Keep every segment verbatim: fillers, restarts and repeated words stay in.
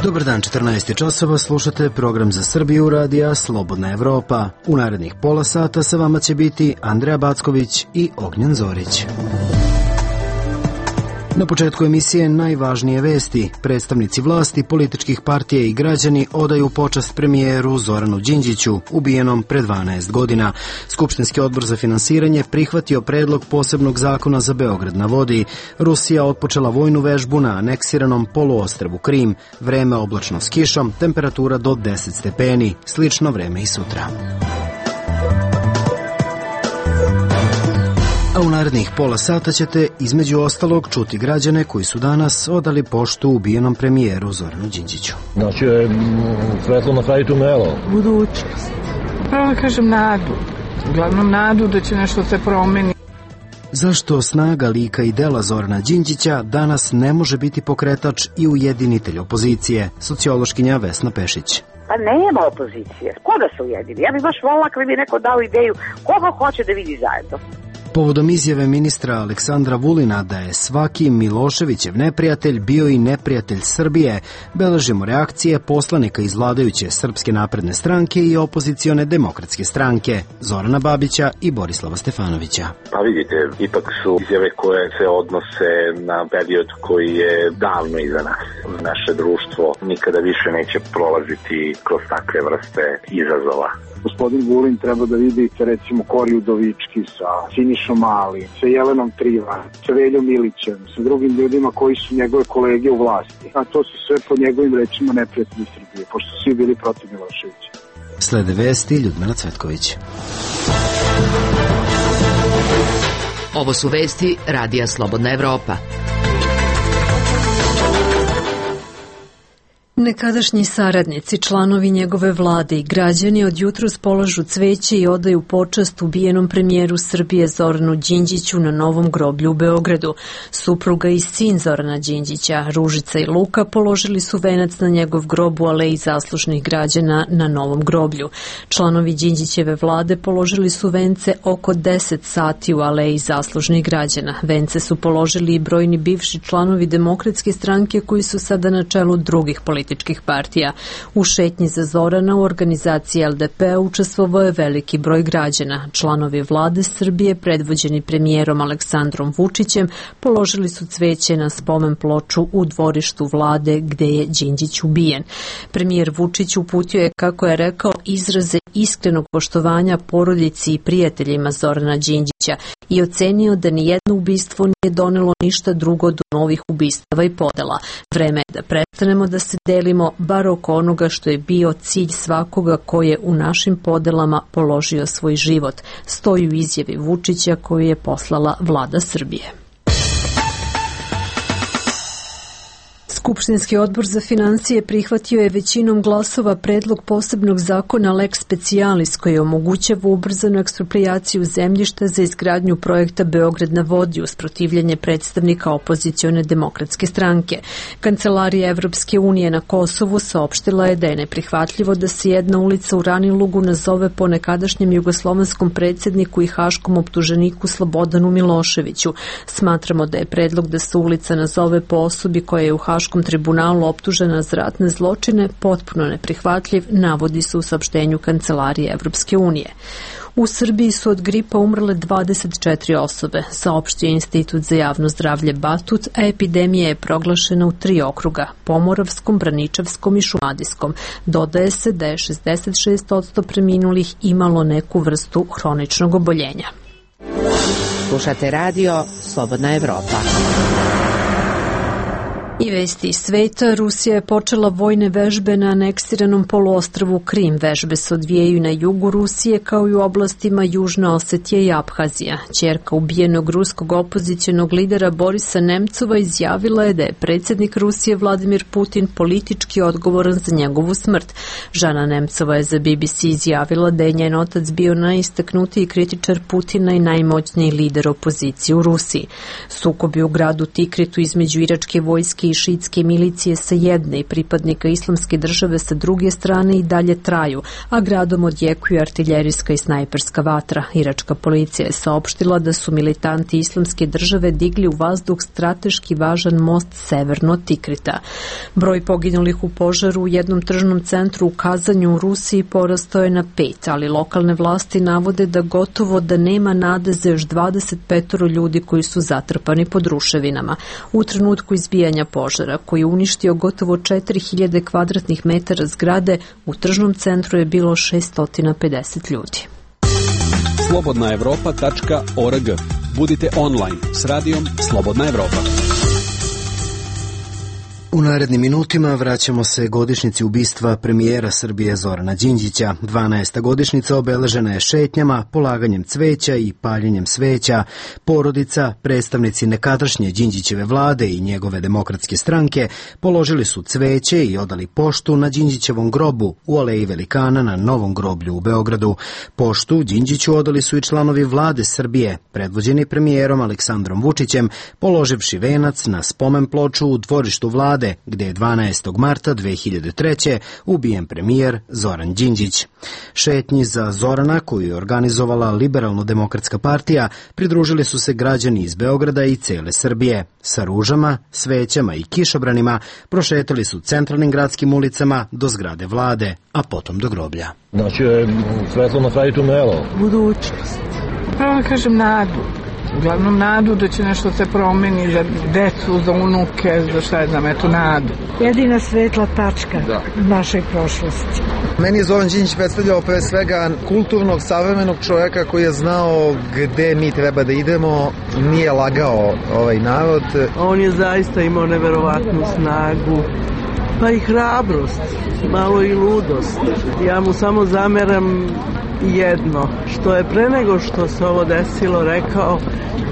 Dobar dan, četrnaest časova, slušate program za Srbiju radija Slobodna Evropa. U narednih pola sata sa vama će biti Andreja Backović i Ognjen Zorić. Na početku emisije najvažnije vesti. Predstavnici vlasti, političkih partija i građani odaju počast premijeru Zoranu Đinđiću, ubijenom pre dvanaest godina. Skupštinski odbor za finansiranje prihvatio predlog posebnog zakona za Beograd na vodi. Rusija otpočela vojnu vežbu na aneksiranom poluostrvu Krim. Vreme oblačno s kišom, temperatura do deset stepeni. Slično vreme i sutra. A u narednih pola sata ćete između ostalog čuti građane koji su danas odali poštu ubijenom premijeru Zoranu Đinđiću. Znači je svetlo na kraju tunela. Budućnost. Pravo da kažem nadu. Uglavnom nadu da će nešto se promeni. Zašto snaga lika i dela Zorana Đinđića danas ne može biti pokretač i ujedinitelj opozicije? Sociološkinja Vesna Pešić. Pa nema opozicije. Ko da se ujedini? Ja bih baš volila kad bi neko dao ideju koga hoće da vidi zajedno. Povodom izjave ministra Aleksandra Vulina da je svaki Miloševićev neprijatelj bio i neprijatelj Srbije, beležimo reakcije poslanika iz vladajuće Srpske napredne stranke i opozicione Demokratske stranke, Zorana Babića i Borislava Stefanovića. Pa vidite, ipak su izjave koje se odnose na period koji je davno iza nas. Naše društvo nikada više neće prolaziti kroz takve vrste izazova. Gospodin Vulin treba da vidi recimo Kori Udovički sa Sinišom Mali, sa Jelenom Trivan, sa Veljom Milićem, sa drugim ljudima koji su njegove kolege u vlasti. A to su sve po njegovim rečima neprijatelji Srbije, pošto su svi bili protiv Miloševića. Slede vesti Ljudmila Cvetković. Ovo su vesti radija Slobodna Evropa. Nekadašnji saradnici, članovi njegove vlade i građani od jutros polažu cveće i odaju počast ubijenom premijeru Srbije Zoranu Đinđiću na novom groblju u Beogradu. Supruga i sin Zorana Đinđića, Ružica i Luka, položili su venac na njegov grob u Aleji zaslušnih građana na novom groblju. Članovi Đinđićeve vlade položili su vence oko deset sati u Aleji zaslužnih građana. Vence su položili i brojni bivši članovi Demokratske stranke koji su sada na čelu drugih političkih partija. U šetnji za Zorana u organizaciji L D P učestvovao je veliki broj građana. Članovi vlade Srbije, predvođeni premijerom Aleksandrom Vučićem, položili su cveće na spomen ploču u dvorištu vlade gde je Đinđić ubijen. Premijer Vučić uputio je, kako je rekao, izraze iskrenog poštovanja porodici i prijateljima Zorana Đinđića i ocenio da nijedno ubistvo nije donelo ništa drugo do novih ubistava i podela. Vreme je da prestanemo da se delimo bar oko onoga što je bio cilj svakoga ko je u našim podelama položio svoj život, stoji u izjavi Vučića koju je poslala vlada Srbije. Skupštinski odbor za finansije prihvatio je većinom glasova predlog posebnog zakona Lex Specialis koji omogućava ubrzanu eksproprijaciju zemljišta za izgradnju projekta Beograd na vodi uz protivljenje predstavnika opozicione Demokratske stranke. Kancelarija Evropske unije na Kosovu saopštila je da je neprihvatljivo da se jedna ulica u Ranilugu nazove po nekadašnjem jugoslovenskom predsjedniku i haškom optuženiku Slobodanu Miloševiću. Smatramo da je predlog da se ulica nazove po osobi koja je u haškom tribunalu optužena za ratne zločine potpuno neprihvatljiv, navodi se u saopštenju Kancelarije Evropske unije. U Srbiji su od gripa umrle dvadeset četiri osobe, saopštio Institut za javno zdravlje Batut, a epidemija je proglašena u tri okruga, Pomoravskom, Braničevskom i Šumadijskom. Dodaje se da je šezdeset šest posto preminulih imalo neku vrstu hroničnog oboljenja. Slušate radio Slobodna Evropa. I vesti iz sveta, Rusija je počela vojne vežbe na aneksiranom poluostrvu Krim. Vežbe se odvijaju na jugu Rusije kao i u oblastima Južna Osetija i Abhazija. Ćerka ubijenog ruskog opozicionog lidera Borisa Nemcova izjavila je da je predsjednik Rusije Vladimir Putin politički odgovoran za njegovu smrt. Žana Nemcova je za B B C izjavila da je njen otac bio najistaknutiji kritičar Putina i najmoćniji lider opozicije u Rusiji. Sukobi u gradu Tikritu između iračke vojske sunetske i šiitske milicije sa jedne i pripadnika islamske države sa druge strane i dalje traju, a gradom odjekuje artiljerijska i snajperska vatra. Iračka policija je saopštila da su militanti islamske države digli u vazduh strateški važan most severno od Tikrita. Broj poginulih u požaru u jednom tržnom centru u Kazanju u Rusiji porastao je na pet, ali lokalne vlasti navode da gotovo da nema nade za još dvadeset pet ljudi koji su zatrpani pod ruševinama. U trenutku izbijanja požara, koji je uništio gotovo četiri hiljade kvadratnih metara zgrade, u tržnom centru je bilo šesto pedeset ljudi. slobodna evropa tačka org. Budite online s radijom Slobodna Evropa. U narednim minutima vraćamo se godišnjici ubistva premijera Srbije Zorana Đinđića. dvanaesta godišnjica obeležena je šetnjama, polaganjem cveća i paljenjem sveća. Porodica, predstavnici nekadašnje Đinđićeve vlade i njegove demokratske stranke položili su cveće i odali poštu na Đinđićevom grobu u Aleji Velikana na Novom groblju u Beogradu. Poštu Đinđiću odali su i članovi vlade Srbije, predvođeni premijerom Aleksandrom Vučićem, položivši venac na spomen ploču u dvorištu vlade, gde je dvanaestog marta dve hiljade treće. ubijen premijer Zoran Đinđić. Šetnji za Zorana, koju je organizovala Liberalno-demokratska partija, pridružili su se građani iz Beograda i cele Srbije. Sa ružama, svećama i kišobranima prošetali su centralnim gradskim ulicama do zgrade vlade, a potom do groblja. Znači je svetlo na kraju tunela. Budućnost. Pravo da kažem nadu. Uglavnom nadu da će nešto se promeni za decu, za unuke, za šta je znam, eto nadu. Jedina svetla tačka da. Našoj prošlosti. Meni je Zoran Đinđić predstavljao pre svega kulturnog, savremenog čovjeka koji je znao gde mi treba da idemo, nije lagao ovaj narod. On je zaista imao neverovatnu snagu, pa i hrabrost, malo i ludost. Ja mu samo zameram jedno, što je pre nego što se ovo desilo rekao,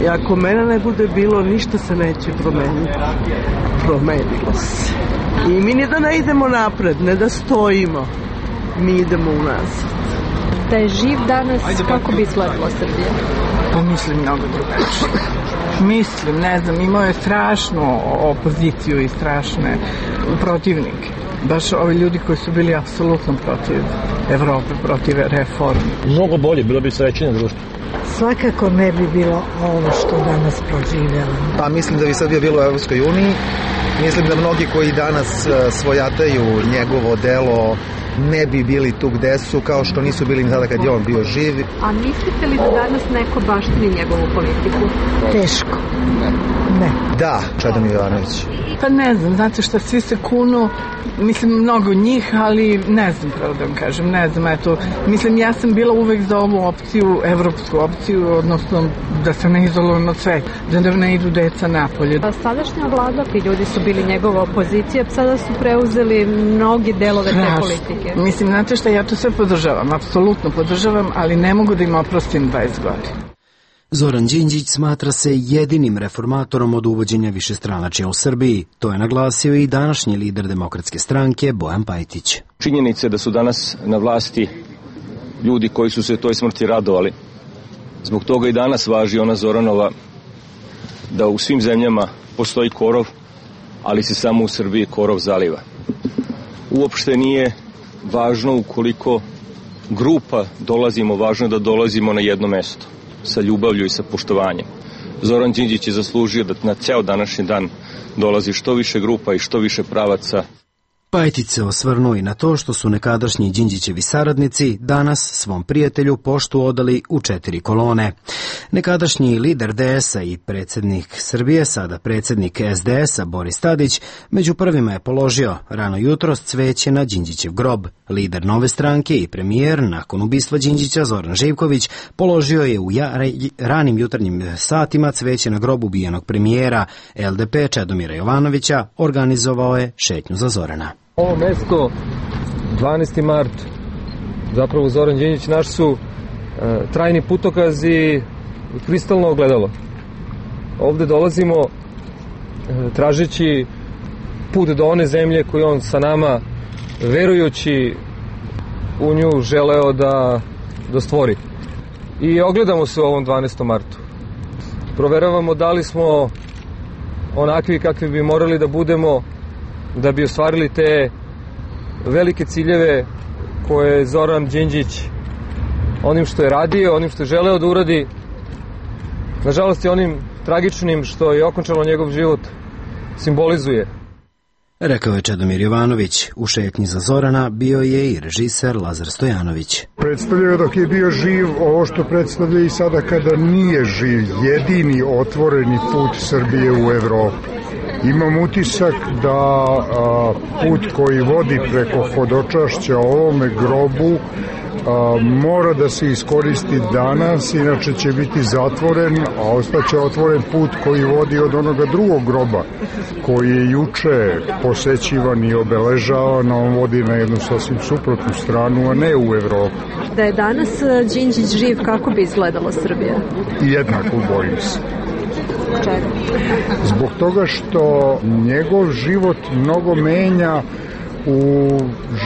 i ako mene ne bude bilo, ništa se neće promeniti. Promenilo se. I mi ni da ne idemo napred, ne da stojimo, mi idemo unazad. Da je živ danas, kako bi izgledala Srbija? Pa mislim mnogo drugačije. Mislim, ne znam, imao je strašnu opoziciju i strašne protivnike. Baš ovi ljudi koji su bili apsolutno protiv Evrope, protiv reforme. Mnogo bolje, bilo bi srećenje društvo. Svakako ne bi bilo ovo što danas proživljamo. Pa mislim da bi Srbija bila u Evropskoj uniji. Mislim da mnogi koji danas svojataju njegovo delo ne bi bili tu gde su, kao što nisu bili ni tada kad je on bio živ. A mislite li da danas neko baštini njegovu politiku? Teško. Ne. Ne. Da, Čedomir Jovanović. Pa ne znam, znate šta, svi se kunu, mislim mnogo njih, ali ne znam pravo da vam kažem, ne znam, eto, mislim ja sam bila uvek za ovu opciju, evropsku opciju, odnosno da se ne izolujem od sve, da ne idu deca napolje. Sadašnja vlada, ti ljudi su bili njegova opozicija, sada su preuzeli mnogi delove te politike. Mislim, znate šta, ja to sve podržavam, apsolutno podržavam, ali ne mogu da im oprostim dvadeset godina. Zoran Đinđić smatra se jedinim reformatorom od uvođenja višestranačja u Srbiji. To je naglasio i današnji lider Demokratske stranke Bojan Pajtić. Činjenica je da su danas na vlasti ljudi koji su se toj smrti radovali. Zbog toga i danas važi ona Zoranova da u svim zemljama postoji korov, ali se samo u Srbiji korov zaliva. Uopšte nije važno ukoliko grupa dolazimo, važno je da dolazimo na jedno mesto, sa ljubavlju i sa poštovanjem. Zoran Đinđić je zaslužio da na ceo današnji dan dolazi što više grupa i što više pravaca. Pajtić se osvrnuo i na to što su nekadašnji Đinđićevi saradnici danas svom prijatelju poštu odali u četiri kolone. Nekadašnji lider D S-a i predsjednik Srbije, sada predsjednik S D S-a Boris Tadić, među prvima je položio rano jutros cveće na Đinđićev grob. Lider Nove stranke i premijer, nakon ubistva Đinđića Zoran Živković, položio je u ja, ranim jutarnjim satima cveće na grob ubijenog premijera. L D P Čedomira Jovanovića organizovao je šetnju za Zorana. Ovo mesto, dvanaesti mart, zapravo Zoran Đinđić, naš su e, trajni putokaz i kristalno ogledalo. Ovde dolazimo e, tražeći put do one zemlje koju on sa nama, verujući u nju, želeo da, da stvori. I ogledamo se u ovom dvanaestom martu. Proveravamo da li smo onakvi kakvi bi morali da budemo da bi ostvarili te velike ciljeve koje je Zoran Đinđić onim što je radio, onim što je želeo da uradi, nažalost i onim tragičnim što je okončalo njegov život, simbolizuje. Rekao je Čedomir Jovanović. U šetnji za Zorana bio je i režiser Lazar Stojanović. Predstavljaju dok je bio živ ovo što predstavlja i sada kada nije živ, jedini otvoreni put Srbije u Evropu. Imam utisak da a, put koji vodi preko hodočašća ovome grobu a, mora da se iskoristi danas, inače će biti zatvoren, a ostaće otvoren put koji vodi od onoga drugog groba, koji je juče posećivan i obeležavan, a on vodi na jednu sasvim suprotnu stranu, a ne u Evropu. Da je danas Đinđić živ, kako bi izgledala Srbija? Jednako, bojim se. Zbog toga što njegov život mnogo menja u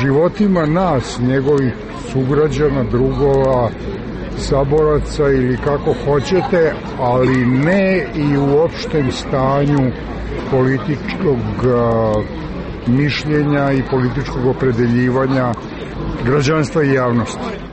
životima nas, njegovih sugrađana, drugova, saboraca ili kako hoćete, ali ne i u opštem stanju političkog mišljenja i političkog opredeljivanja građanstva i javnosti.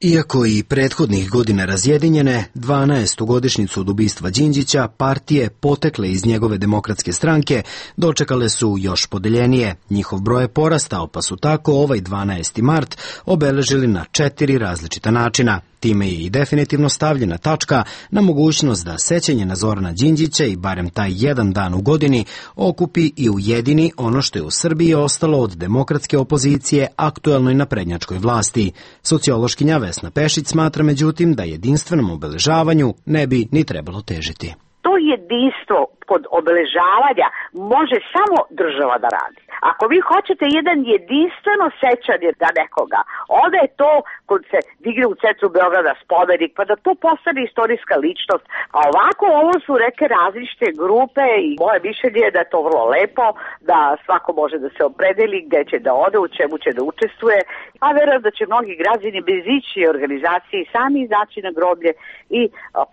Iako i prethodnih godina razjedinjene, dvanaestu godišnjicu od ubistva Đinđića, partije potekle iz njegove demokratske stranke dočekale su još podeljenije. Njihov broj je porastao, pa su tako ovaj dvanaesti mart obeležili na četiri različita načina. Time je i definitivno stavljena tačka na mogućnost da sećanje na Zorana Đinđića i barem taj jedan dan u godini okupi i ujedini ono što je u Srbiji ostalo od demokratske opozicije aktuelnoj naprednjačkoj vlasti. Sociološkinja Vesna Pešić smatra međutim da jedinstvenom obeležavanju ne bi ni trebalo težiti. To jedinstvo kod obeležavanja može samo država da radi. Ako vi hoćete jedan jedinstveno sećanje na nekoga, onda je to kod se digne u centru Beograda spomenik, pa da to postane istorijska ličnost. A ovako ovo su neke različite grupe i moje mišljenje je da je to vrlo lepo, da svako može da se opredeli gde će da ode, u čemu će da učestvuje. A verujem da će mnogi građani bez ići organizaciji sami izaći na groblje i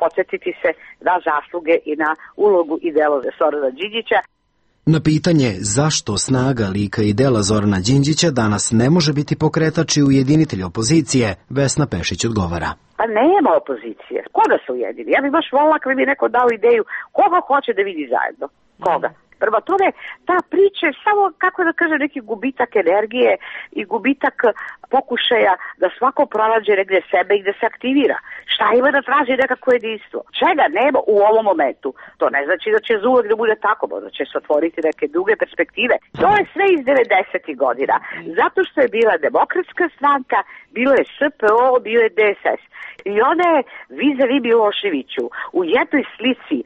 podsjetiti se na zasluge i na ulogu i delo Zorana Đinđića. Na pitanje zašto snaga lika i dela Zorana Đinđića danas ne može biti pokretač i ujedinitelj opozicije, Vesna Pešić odgovara. Pa nema opozicije. Koga se ujedini? Ja bih baš volila kada bi mi neko dao ideju koga hoće da vidi zajedno. Koga? Prva tome, ta priča je samo, kako da kažem, neki gubitak energije i gubitak pokušaja da svako pronađe negde sebe i da se aktivira. Šta ima da traži nekako jedinstvo? Čega nema u ovom momentu? To ne znači da će zauvek da bude tako, možda će se otvoriti neke druge perspektive. To je sve iz devedesetih godina. Zato što je bila Demokratska stranka, bilo je S P O, bio je D S S. I ona je vis-a-vis Miloševiću u jednoj slici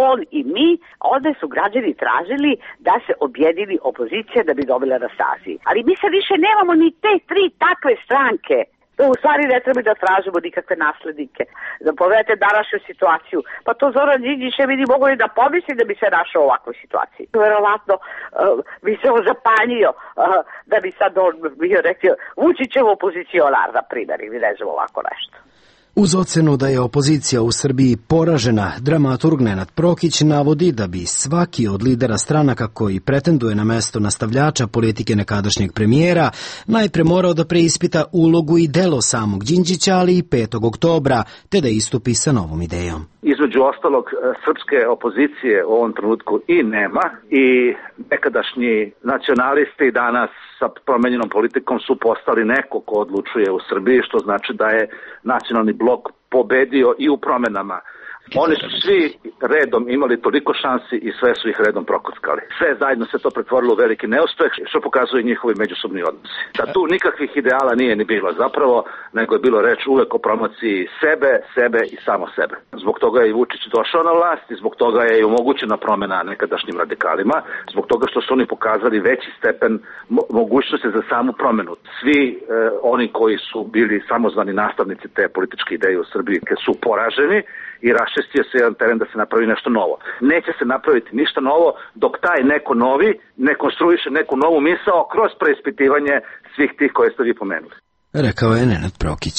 on i mi, onda su građani tražili da se objedini opozicija da bi dobila na snazi. Ali mi sad više nemamo ni te tri takve stranke. To u stvari ne treba da tražimo nikakve naslednike. Da pogledate današnju situaciju. Pa to Zoran Đinđić ne bi ni mogli da pomisli da bi se našao u ovakvoj situaciji. Verovatno uh, bi se on zapanjio uh, da bi sad on bio rekao Vučićev opozicionar, na primjer, ili ne znam ovako nešto. Uz ocenu da je opozicija u Srbiji poražena, dramaturg Nenad Prokić navodi da bi svaki od lidera stranaka koji pretenduje na mesto nastavljača politike nekadašnjeg premijera najpre morao da preispita ulogu i delo samog Đinđića, ali i petog oktobra, te da istupi sa novom idejom. Između ostalog, srpske opozicije u ovom trenutku i nema i nekadašnji nacionalisti danas sa promenjenom politikom su postali neko ko odlučuje u Srbiji, što znači da je nacionalni blok pobedio i u promenama. Oni su svi redom imali toliko šansi i sve su ih redom prokockali. Sve zajedno se to pretvorilo u veliki neuspeh, što pokazuje njihovi međusobni odnosi. Da tu nikakvih ideala nije ni bilo zapravo, nego je bilo reč uvek o promociji sebe, sebe i samo sebe. Zbog toga je i Vučić došao na vlast i zbog toga je i omogućena promena nekadašnjim radikalima, zbog toga što su oni pokazali veći stepen mo- mogućnosti za samu promenu. Svi e, oni koji su bili samozvani nastavnici te političke ideje u Srbiji su poraženi i raščistio se jedan teren da se napravi nešto novo. Neće se napraviti ništa novo dok taj neko novi ne konstruiše neku novu misao kroz preispitivanje svih tih koje ste vi pomenuli. Rekao je Nenad Prokić.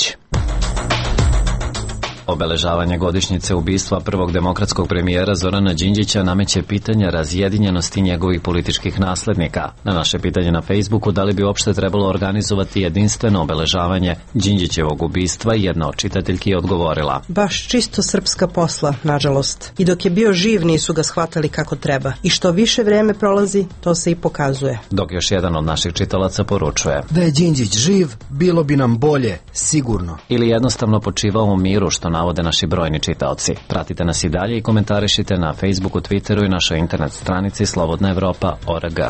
Obeležavanje godišnjice ubistva prvog demokratskog premijera Zorana Đinđića nameće pitanje razjedinjenosti njegovih političkih naslednika. Na naše pitanje na Facebooku da li bi uopšte trebalo organizovati jedinstveno obeležavanje Đinđićevog ubistva, jedna od čitateljki je odgovorila: baš čisto srpska posla, nažalost. I dok je bio živ nisu ga shvatali kako treba. I što više vreme prolazi, to se i pokazuje. Dok još jedan od naših čitalaca poručuje: da je Đinđić živ, bilo bi nam bolje, sigurno. Ili jednostavno počivao u miru, što navode naši brojni čitaoci. Pratite nas i dalje i komentarišite na Facebooku, Twitteru i našoj internet stranici slobodna evropa tačka org.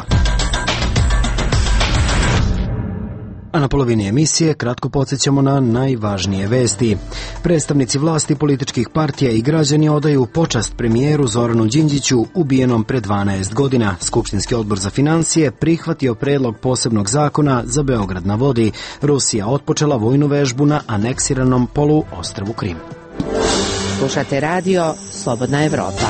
A na polovini emisije kratko podsjećamo na najvažnije vesti. Predstavnici vlasti, političkih partija i građani odaju počast premijeru Zoranu Đinđiću ubijenom pre dvanaest godina. Skupštinski odbor za finansije prihvatio predlog posebnog zakona za Beograd na vodi. Rusija otpočela vojnu vežbu na aneksiranom poluostrvu Krim. Slušate radio Slobodna Evropa.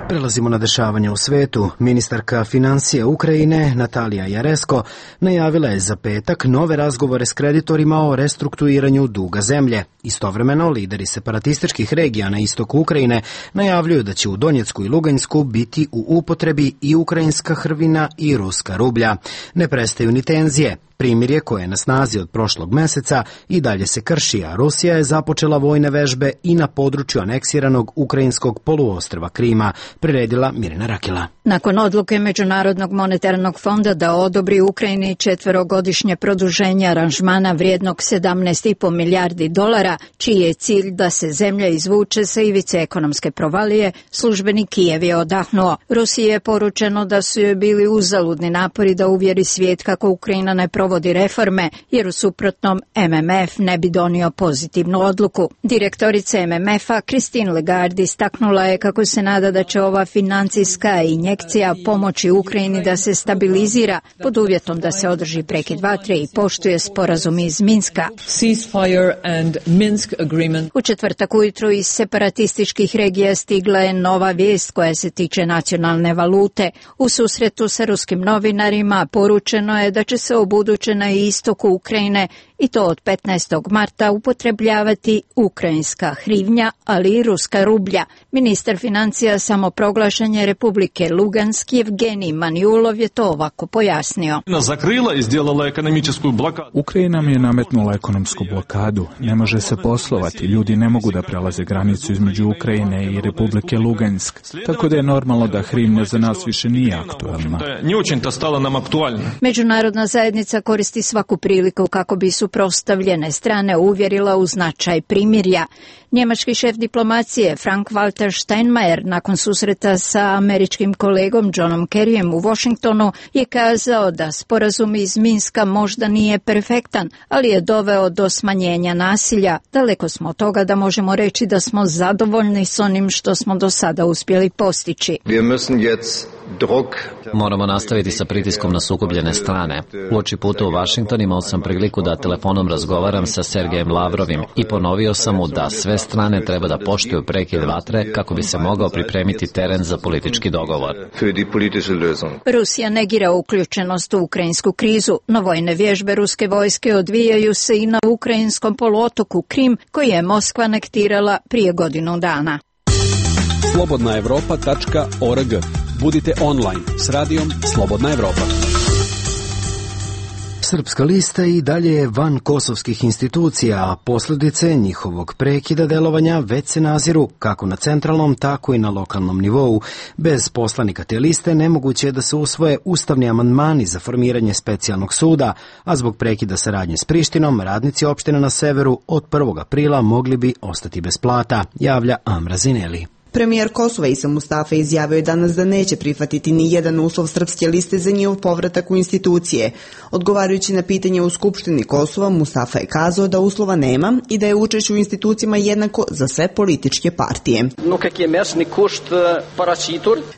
Prelazimo na dešavanje u svetu. Ministarka financija Ukrajine Natalija Jaresko najavila je za petak nove razgovore s kreditorima o restrukturiranju duga zemlje. Istovremeno, lideri separatističkih regija na istoku Ukrajine najavljuju da će u Donjecku i Luganjsku biti u upotrebi i ukrajinska hrvina i ruska rublja. Ne prestaju ni tenzije. Primirje koje je na snazi od prošlog meseca i dalje se krši, a Rusija je započela vojne vežbe i na području aneksiranog ukrajinskog poluostrva Krima, priredila Mirjana Rakela. Nakon odluke Međunarodnog monetarnog fonda da odobri Ukrajini četverogodišnje produženje aranžmana vrijednog sedamnaest i po milijardi dolara, čiji je cilj da se zemlja izvuče sa ivice ekonomske provalije, službeni Kijev je odahnuo. Rusiji je poručeno da su joj bili uzaludni napori da uvjeri svijet kako Ukrajina ne provodi reforme, jer u suprotnom M M F ne bi donio pozitivnu odluku. Direktorica M M F-a Christine Lagarde istaknula je kako se nada da će ova financijska injekcija pomoći Ukrajini da se stabilizira pod uvjetom da se održi prekid vatre i poštuje sporazum iz Minska. U četvrtak ujutru iz separatističkih regija stigla je nova vijest koja se tiče nacionalne valute. U susretu sa ruskim novinarima poručeno je da će se u buduće na istoku Ukrajine i to od petnaestog marta upotrebljavati ukrajinska hrivnja, ali i ruska rublja. Ministar financija samoproglašenje Republike Lugansk Evgenij Manjulov je to ovako pojasnio. Ukrajina mi je nametnula ekonomsku blokadu. Ne može se poslovati, ljudi ne mogu da prelaze granicu između Ukrajine i Republike Lugansk, tako da je normalno da hrivnja za nas više nije aktualna. Međunarodna zajednica koristi svaku priliku kako bi suprotstavljene strane uvjerila u značaj primirja. Njemački šef diplomacije Frank-Walter Steinmeier nakon susreta sa američkim kolegom Johnom Kerryjem u Washingtonu je kazao da sporazum iz Minska možda nije perfektan, ali je doveo do smanjenja nasilja. Daleko smo od toga da možemo reći da smo zadovoljni s onim što smo do sada uspjeli postići. Moramo nastaviti sa pritiskom na sukobljene strane. Uoči puta u Washington imao sam priliku da telefonom razgovaram sa Sergejem Lavrovim i ponovio sam mu da sve strane treba da poštuju prekid vatre kako bi se mogao pripremiti teren za politički dogovor. Rusija negira uključenost u ukrajinsku krizu, no vojne vježbe ruske vojske odvijaju se i na ukrajinskom poluotoku Krim, koji je Moskva anektirala prije godinu dana. slobodna evropa tačka org. Budite online s radijom Slobodna Evropa. Srpska lista i dalje je van kosovskih institucija, a posljedice njihovog prekida delovanja već se naziru kako na centralnom, tako i na lokalnom nivou. Bez poslanika te liste nemoguće je da se usvoje ustavni amandmani za formiranje specijalnog suda, a zbog prekida saradnje s Prištinom, radnici opštine na severu od prvog aprila mogli bi ostati bez plata, javlja Amra Zineli. Premijer Kosova Isa Mustafa izjavio je danas da neće prihvatiti ni jedan uslov srpske liste za njihov povratak u institucije. Odgovarajući na pitanje u Skupštini Kosova, Mustafa je kazao da uslova nema i da je učešće u institucijama jednako za sve političke partije.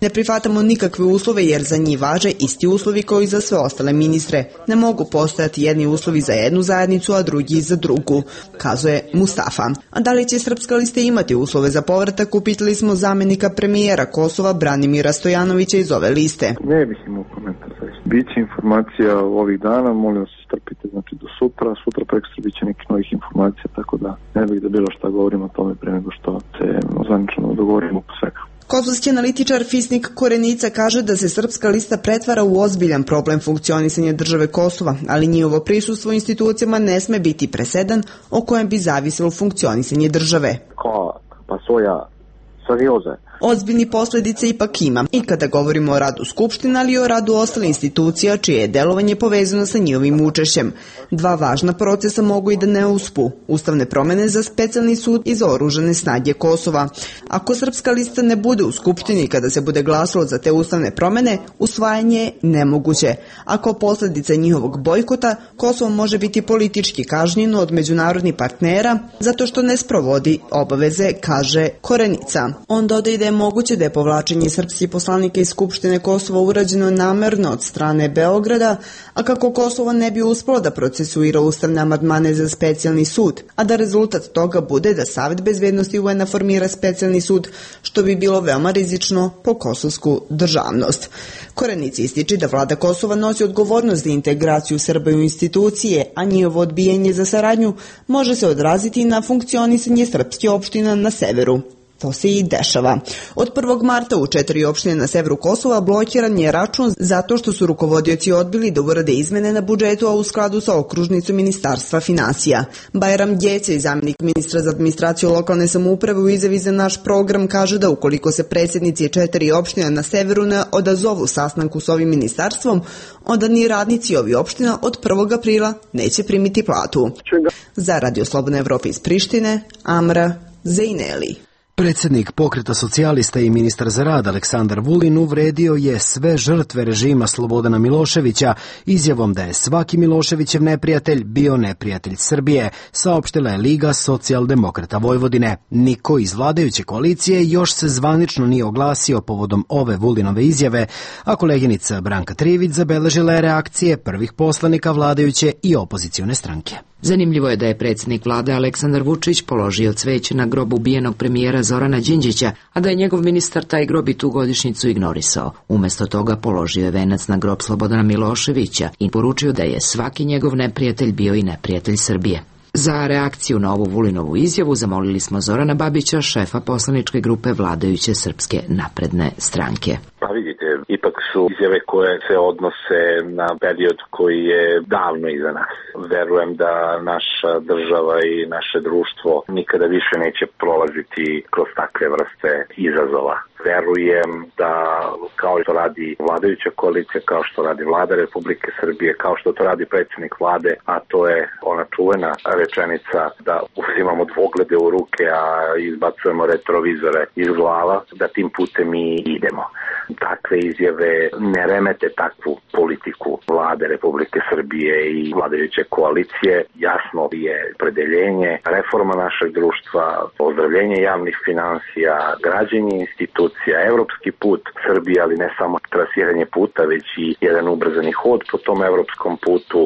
Ne prihvatamo nikakve uslove jer za njih važe isti uslovi kao i za sve ostale ministre. Ne mogu postojati jedni uslovi za jednu zajednicu, a drugi za drugu, kazao je Mustafa. A da li će srpska lista imati uslove za povratak, upitali smo smo zamenika premijera Kosova Branimira Stojanovića iz ove liste. Ne bih imao komentar. Biće informacija ovih dana, molim vas strpite znači do sutra, sutra prekstra biće nekih novih informacija, tako da ne bih da bilo šta govorim o tome pre nego što se zvanično dogovorimo po svega. Kosovski analitičar Fisnik Korenica kaže da se Srpska lista pretvara u ozbiljan problem funkcionisanja države Kosova, ali njihovo prisustvo u institucijama ne sme biti presedan o kojem bi zavisilo funkcionisanje države. Ko pa svoja serioze. Ozbiljni posledice ipak ima i kada govorimo o radu Skupština, ali i o radu ostale institucija čije je delovanje povezano sa njihovim učešćem. Dva važna procesa mogu i da ne uspu. Ustavne promene za specijalni sud i za oružane snage Kosova. Ako Srpska lista ne bude u Skupštini kada se bude glasalo za te ustavne promene, usvajanje je nemoguće. Ako posledica njihovog bojkota, Kosovo može biti politički kažnjeno od međunarodnih partnera zato što ne sprovodi obaveze, kaže Korenica. On dodaje da je moguće da je povlačenje srpskih poslanika iz Skupštine Kosova urađeno namerno od strane Beograda, a kako Kosovo ne bi uspelo da procesuira ustavne amandmane za specijalni sud, a da rezultat toga bude da Savet bezbednosti U N-a formira specijalni sud, što bi bilo veoma rizično po kosovsku državnost. Korenica ističe da vlada Kosova nosi odgovornost za integraciju Srba u institucije, a njihovo odbijanje za saradnju može se odraziti na funkcionisanje srpskih opština na severu. To se i dešava. Od prvog marta u četiri opštine na severu Kosova blokiran je račun zato što su rukovodioci odbili da urade izmene na budžetu, a u skladu sa okružnicom Ministarstva finansija. Bajram Djece, zamjenik ministra za administraciju lokalne samouprave, u izjavi za naš program kaže da ukoliko se predsjednici četiri opština na severu ne odazovu sastanku s ovim ministarstvom, onda ni radnici ovih opština od prvog aprila neće primiti platu. Za Radio Slobodna Evropa iz Prištine, Amra Zejneli. Predsjednik Pokreta socijalista i ministar za rad Aleksandar Vulin uvredio je sve žrtve režima Slobodana Miloševića izjavom da je svaki Miloševićev neprijatelj bio neprijatelj Srbije, saopštila je Liga socijaldemokrata Vojvodine. Niko iz vladajuće koalicije još se zvanično nije oglasio povodom ove Vulinove izjave, a koleginica Branka Trivić zabeležila je reakcije prvih poslanika vladajuće i opozicione stranke. Zanimljivo je da je predsjednik vlade Aleksandar Vučić položio cveće na grob ubijenog premijera Zorana Đinđića, a da je njegov ministar taj grob i tu godišnjicu ignorisao. Umesto toga položio je venac na grob Slobodana Miloševića i poručio da je svaki njegov neprijatelj bio i neprijatelj Srbije. Za reakciju na ovu Vulinovu izjavu zamolili smo Zorana Babića, šefa poslaničke grupe vladajuće Srpske napredne stranke. Pa vidite, ipak su izjave koje se odnose na period koji je davno iza nas. Verujem da naša država i naše društvo nikada više neće prolaziti kroz takve vrste izazova. Verujem da kao što radi vladajuća koalicija, kao što radi vlada Republike Srbije, kao što to radi predsjednik vlade, a to je ona čuvena rečenica da uzimamo dvoglede u ruke, a izbacujemo retrovizore iz glava, da tim putem mi idemo. Takve izjave ne remete takvu politiku vlade Republike Srbije i vladajuće koalicije. Jasno je predeljenje, reforma našeg društva, ozdravljenje javnih finansija, građenje institucija, evropski put Srbije, ali ne samo trasiranje puta, već i jedan ubrzani hod po tom evropskom putu,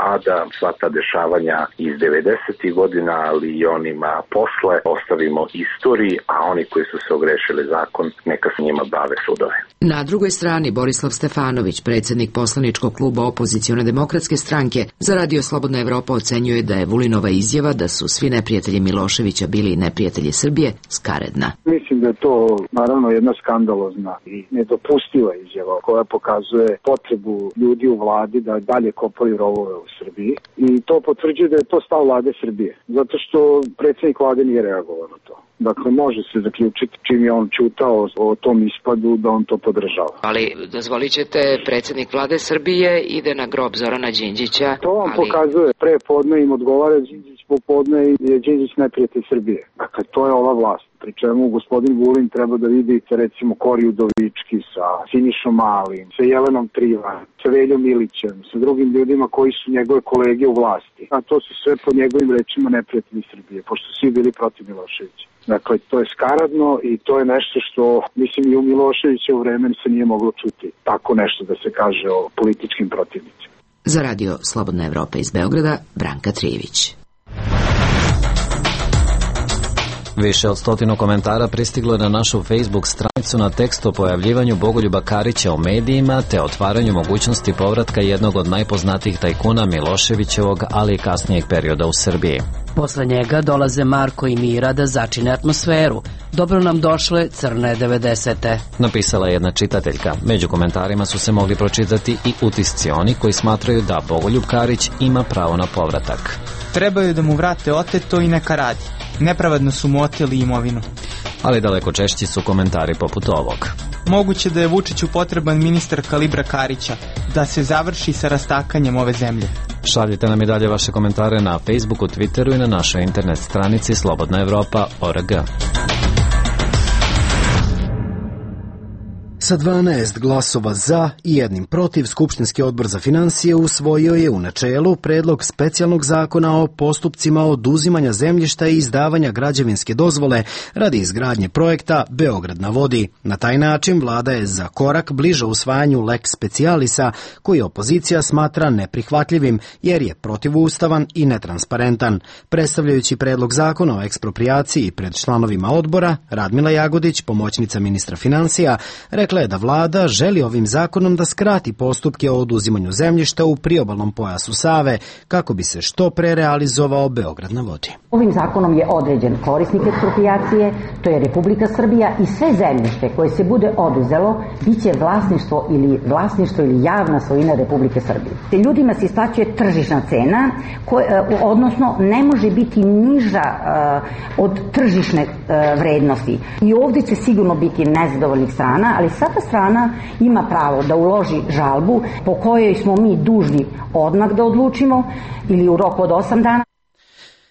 a da sva ta dešavanja iz devedesetih godina, ali i onima posle, ostavimo istoriji, a oni koji su se ogrešili zakon, neka se njima bave sudove. Na drugoj strani Borislav Stefanović, predsjednik poslaničkog kluba Opozicione demokratske stranke, za Radio Slobodna Evropa ocenjuje da je Vulinova izjava da su svi neprijatelji Miloševića bili neprijatelji Srbije skaredna. Mislim da je to naravno jedna skandalozna i nedopustiva izjava koja pokazuje potrebu ljudi u vladi da dalje kopaju rovove u Srbiji i to potvrđuje da je to stav vlade Srbije, zato što predsjednik vlade nije reagovao na to. Dakle, može se zaključiti čim je on čutao o tom ispadu da on to podržava. Ali dozvolit ćete, predsjednik vlade Srbije ide na grob Zorana Đinđića. To vam ali... pokazuje, pre podne im odgovara Đinđić, popodne je Đinđić neprijatelj Srbije. Dakle, to je ova vlast. Pri čemu gospodin Vulin treba da vidi recimo Kori Udovički sa Sinišom Malim, sa Jelenom Trivan, sa Veljom Milićem, sa drugim ljudima koji su njegove kolege u vlasti. A to su sve po njegovim rečima neprijatelji Srbije, pošto svi bili protiv Miloševića. Dakle, to je skaradno i to je nešto što, mislim, i u Miloševićevu vremenu se nije moglo čuti. Tako nešto da se kaže o političkim protivnicima. Za Radio Slobodna Evropa iz Beograda, Branka Trivić. Više od stotinu komentara pristiglo je na našu Facebook stranicu na tekst o pojavljivanju Bogoljuba Karića u medijima te otvaranju mogućnosti povratka jednog od najpoznatijih tajkuna Miloševićevog, ali i kasnijeg perioda u Srbiji. Posle njega dolaze Marko i Mira da začine atmosferu. Dobro nam došle crne devedesete. Napisala je jedna čitateljka. Među komentarima su se mogli pročitati i utisci oni koji smatraju da Bogoljub Karić ima pravo na povratak. Trebaju da mu vrate oteto i neka radi. Nepravedno su mu oteli imovinu. Ali daleko češći su komentari poput ovog. Moguće da je Vučiću potreban ministar kalibra Karića, da se završi sa rastakanjem ove zemlje. Šaljite nam i dalje vaše komentare na Facebooku, Twitteru i na našoj internet stranici slobodna evropa tačka org. Sa dvanaest glasova za i jednim protiv, Skupštinski odbor za finansije usvojio je u načelu predlog specijalnog zakona o postupcima oduzimanja zemljišta i izdavanja građevinske dozvole radi izgradnje projekta Beograd na vodi. Na taj način vlada je za korak bliže usvajanju lex specialisa, koji opozicija smatra neprihvatljivim jer je protivustavan i netransparentan. Predstavljajući predlog zakona o eksproprijaciji pred članovima odbora, Radmila Jagodić, pomoćnica ministra finansija, rekla je da vlada želi ovim zakonom da skrati postupke o oduzimanju zemljišta u priobalnom pojasu Save kako bi se što pre realizovao Beograd na vodi. Ovim zakonom je određen korisnik eksproprijacije, to je Republika Srbija, i sve zemljište koje se bude oduzelo biće vlasništvo ili vlasništvo ili javna svojina Republike Srbije. Te ljudima se isplaćuje tržišna cena, koja, odnosno ne može biti niža uh, od tržišne uh, vrednosti. I ovdje će sigurno biti nezadovoljnih strana, ali svaka strana ima pravo da uloži žalbu po kojoj smo mi dužni odmah da odlučimo ili u roku od osam dana.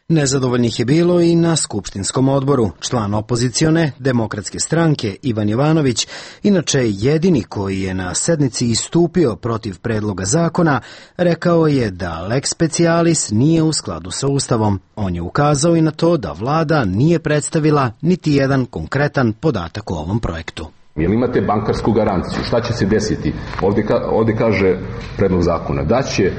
Nezadovoljnih je bilo i na Skupštinskom odboru. Član opozicione Demokratske stranke Ivan Jovanović, inače jedini koji je na sednici istupio protiv predloga zakona, rekao je da lex specialis nije u skladu sa Ustavom. On je ukazao i na to da vlada nije predstavila niti jedan konkretan podatak o ovom projektu. Jel imate bankarsku garanciju? Šta će se desiti? Ovdje, ka, ovdje kaže predlog zakona da će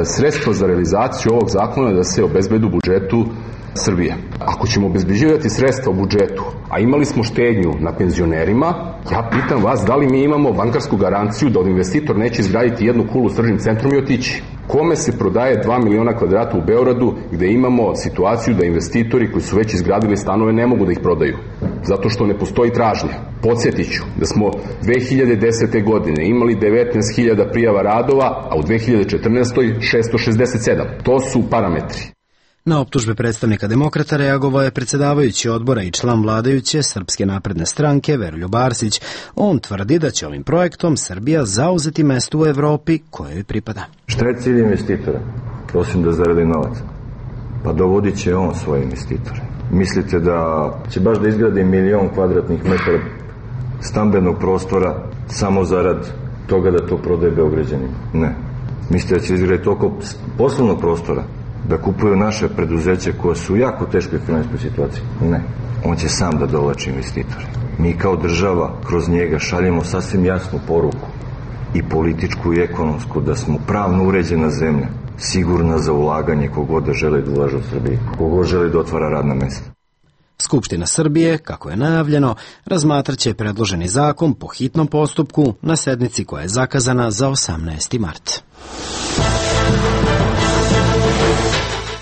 sredstva za realizaciju ovog zakona da se obezbede u budžetu Srbije. Ako ćemo obezbeđivati sredstva u budžetu, a imali smo štednju na penzionerima, ja pitam vas da li mi imamo bankarsku garanciju da od investitor neće izgraditi jednu kulu s tržnim centrom i otići. Kome se prodaje dva miliona kvadrata u Beogradu gde imamo situaciju da investitori koji su već izgradili stanove ne mogu da ih prodaju, zato što ne postoji tražnja. Podsjetiću da smo dve hiljade desete. godine imali devetnaest hiljada prijava radova, a u dve hiljade četrnaestoj. šesto šezdeset sedam. To su parametri. Na optužbe predstavnika demokrata reagovao je predsjedavajući odbora i član vladajuće Srpske napredne stranke Veroljub Arsić. On tvrdi da će ovim projektom Srbija zauzeti mesto u Evropi kojoj pripada. Šta je cilj investitora? Osim da zaradi novac. Pa dovodit će on svoje investitore. Mislite da će baš da izgradi milion kvadratnih metara stambenog prostora samo zarad toga da to prodaje Beograđanima? Ne. Mislite da će izgraditi toliko poslovnog prostora da kupuju naše preduzeće koje su u jako teškoj finansijskoj situaciji? Ne. On će sam da dovlači investitore. Mi kao država kroz njega šaljemo sasvim jasnu poruku, i političku i ekonomsku, da smo pravno uređena zemlja, sigurna za ulaganje kogod da želi da ulaže u Srbiji, kogod želi da otvara radna mesta. Skupština Srbije, kako je najavljeno, razmatraće predloženi zakon po hitnom postupku na sednici koja je zakazana za osamnaesti mart.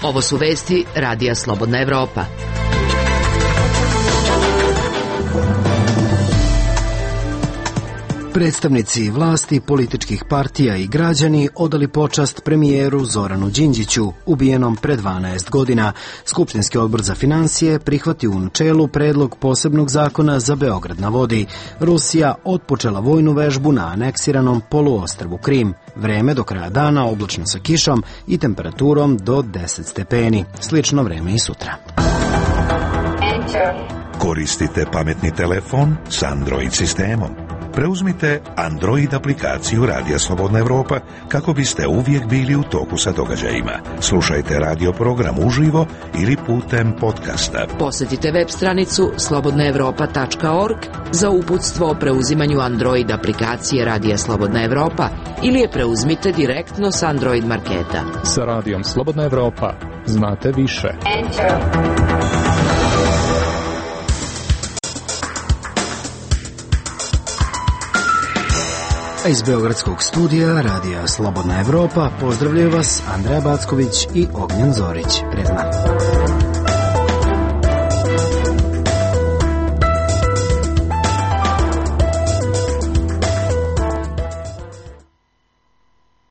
Ovo su vesti Radija Slobodna Evropa. Predstavnici vlasti, političkih partija i građani odali počast premijeru Zoranu Đinđiću, ubijenom pre dvanaest godina. Skupštinski odbor za finansije prihvatio u načelu predlog posebnog zakona za Beograd na vodi. Rusija otpočela vojnu vežbu na aneksiranom poluostrvu Krim. Vreme do kraja dana oblačno sa kišom i temperaturom do deset stepeni. Slično vreme i sutra. Koristite pametni telefon s Android sistemom. Preuzmite Android aplikaciju Radija Slobodna Evropa kako biste uvijek bili u toku sa događajima. Slušajte radio program uživo ili putem podcasta. Posjetite web stranicu slobodna evropa tačka org za uputstvo o preuzimanju Android aplikacije Radija Slobodna Evropa ili je preuzmite direktno s Android marketa. Sa Radijom Slobodna Evropa znate više. Enter. A iz Beogradskog studija Radija Slobodna Evropa pozdravljaju vas Andreja Backović i Ognjen Zorić. Prijatno.